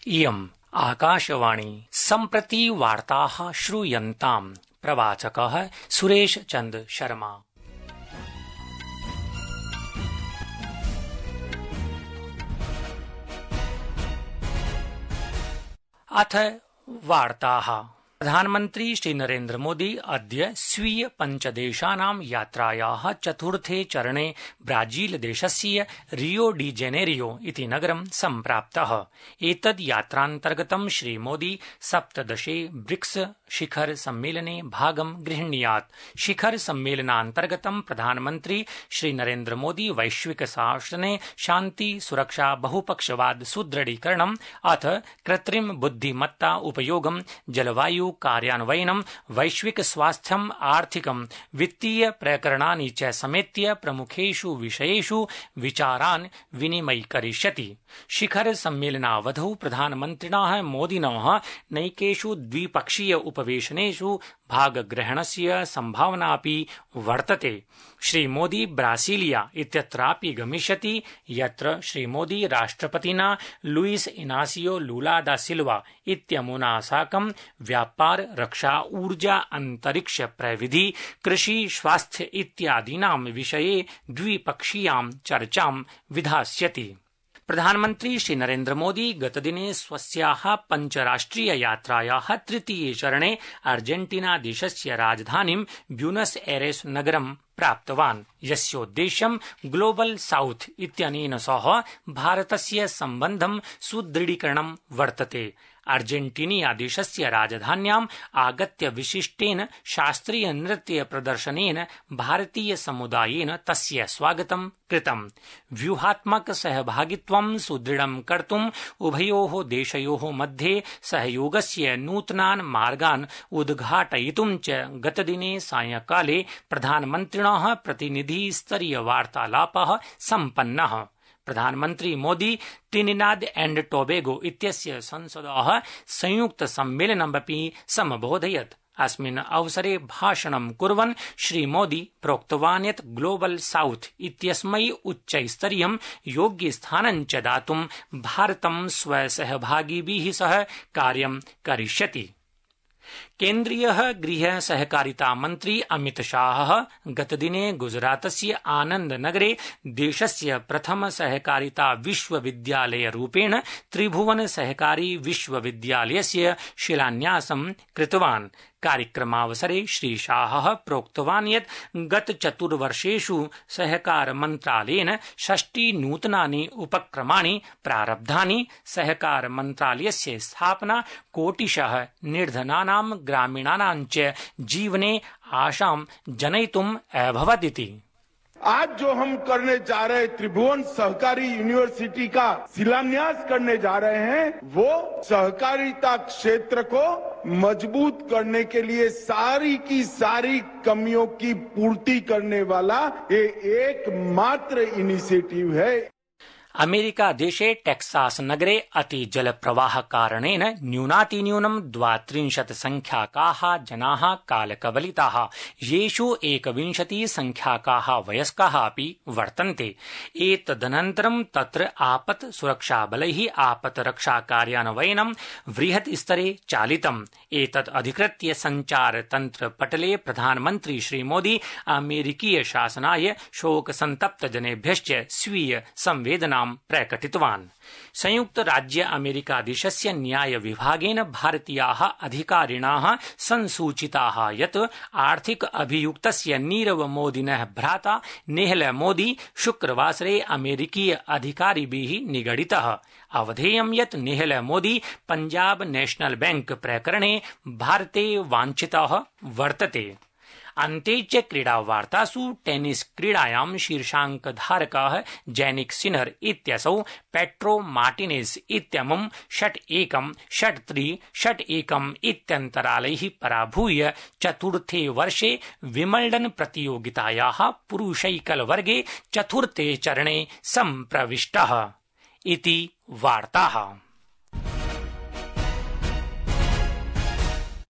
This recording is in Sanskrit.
इयम् आकाशवाणी सम्प्रति वार्ताः श्रूयन्ताम्। प्रवाचकः सुरेश चन्द्र शर्मा। अथ वार्ताः। प्रधानमन्त्री श्री नरेन्द्र मोदी अद्य स्वीय पञ्चदेशानां यात्रायाः चतुर्थे चरणे ब्राजील देशस्य रियो डी जेनेरियो इति नगरं सम्प्राप्तः। एतद् यात्रान्तर्गतं श्री मोदी 17 ब्रिक्स शिखर सम्मेलने भागं गृह्णीयात्। शिखर सम्मेलनान्तर्गतं प्रधानमन्त्री श्री नरेन्द्र मोदी वैश्विक शासने शान्ति सुरक्षा बहुपक्षवाद सुदृढीकरणम् अथ कृत्रिम बुद्धिमत्ता उपयोगं जलवायु कार्यान्वयनं वैश्विक स्वास्थ्यम् आर्थिकं वित्तीय प्रकरणानि च समेत्य प्रमुखेषु विषयेषु विचारान् विनिमयीकरिष्यति। शिखर सम्मेलनावधौ प्रधानमन्त्रिणः मोदिनः नैकेषु द्विपक्षीय उपवेशनेषु भागग्रहणस्य सम्भावनापि वर्तते। श्री मोदी ब्रासीलिया इत्यत्रापि गमिष्यति, यत्र श्री मोदी राष्ट्रपतिना लुइस इनासियो लुला दा सिल्वा इत्यमुना साकं व्यापार, रक्षा, ऊर्जा, अंतरिक्ष प्रविधि, कृषि, स्वास्थ्य इत्यादीनां विषये द्विपक्षीयां चर्चां विधास्यति। प्रधानमन्त्री श्री नरेन्द्र मोदी गतदिने स्वस्याः पञ्चराष्ट्रिय यात्रायाः तृतीये चरणे अर्जेन्टीना देशस्य राजधानीं ब्यूनस एरेस नगरं प्राप्तवान्, यस्योद्देश्यं ग्लोबल साउथ इत्यनेन सह भारतस्य सम्बन्धं सुदृढीकरणं वर्तते। अर्जेन्टीनिया देशस्य राजधान्याम् आगत्य विशिष्टेन शास्त्रीय नृत्य प्रदर्शनेन भारतीय समुदायेन तस्य स्वागतं कृतम्। व्यूहात्मक सहभागित्वं सुदृढं कर्तुम् उभयोः देशयोः मध्ये सहयोगस्य नूतनान् मार्गान् उद्घाटयितुं च गतदिने सायंकाले प्रधानमन्त्रिणः प्रतिनिधिस्तरीय वार्तालापः सम्पन्नः। प्रधानमन्त्री मोदी ट्रिनिडाद एण्ड टोबैगो इत्यस्य संसदः संयुक्त सम्मेलनमपि समबोधयत्। अस्मिन् अवसरे भाषणं कुर्वन् श्री मोदी प्रोक्तवान् यत् ग्लोबल साउथ इत्यस्मै उच्चस्तरीयं योग्यस्थानं च दातुं भारतं स्वसहभागिभिः सह कार्यं करिष्यति। केन्द्रीयः गृह सहकारिता मन्त्री अमित शाहः गतदिने गुजरातस्य आनन्दनगरे देशस्य प्रथम सहकारिता विश्वविद्यालयरूपेण त्रिभुवन सहकारी विश्वविद्यालयस्य शिलान्यासं कृतवान्। कार्यक्रमावसरे श्री शाहः प्रोक्तवान् यत् गत चतुर्वर्षेषु सहकार मन्त्रालयेन 60 नूतनानि उपक्रमाणि प्रारब्धानि। सहकार मन्त्रालयस्य स्थापना कोटिशः निर्धनानां ग्रामीणानां च जीवने आशां जनयितुम् अभवदिति। आज जो हम करने जा रहे त्रिभुवन सहकारी यूनिवर्सिटी का शिलान्यास करने जा रहे हैं, वो सहकारिता क्षेत्र को मजबूत करने के लिए सारी की सारी कमियों की पूर्ति करने वाला ये एकमात्र इनिशिएटिव है। अमेरिका देशे टेक्सास नगरे अतिजलप्रवाह कारणेन न्यूनातिन्यूनं 32 संख्याकाः जनाः कालकवलिताः, येषु 21 संख्याकाः वयस्काः अपि वर्तन्ते। एतदनन्तरं तत्र आपत् सुरक्षाबलैः आपत्रक्षा कार्यान्वयनं बृहत् स्तरे चालितम्। एतत् अधिकृत्य सञ्चारतन्त्रपटले प्रधानमन्त्री श्री मोदी अमेरिकीय शासनाय शोकसन्तप्त जनेभ्यश्च स्वीय संवेदना प्रकटितवान्। संयुक्त राज्य अमेरिका देशस्य न्याय विभागेन भारतीयाः अधिकारिणाः संसूचिताः यत् आर्थिक अभियुक्तस्य नीरव मोदिनः भ्राता नेहल मोदी शुक्रवासरे अमेरिकीय अधिकारिभिः निगडितः। अवधेयं यत् नेहल मोदी पंजाब नेशनल बैंक प्रकरणे भारते वाञ्छितः वर्तते। अन्ते च क्रीडावार्तासु टेनिस क्रीडायां शीर्षाङ्कधारकः जैनिक सिनर इत्यसौ पेट्रो मार्टिनेज इत्यमुं 6-1, 6-3, 6-1 इत्यन्तरालैः पराभूय चतुर्थे वर्षे विम्बल्डन् प्रतियोगितायाः पुरुषैकलवर्गे चतुर्थे चरणे सम्प्रविष्टः इति वार्ताः।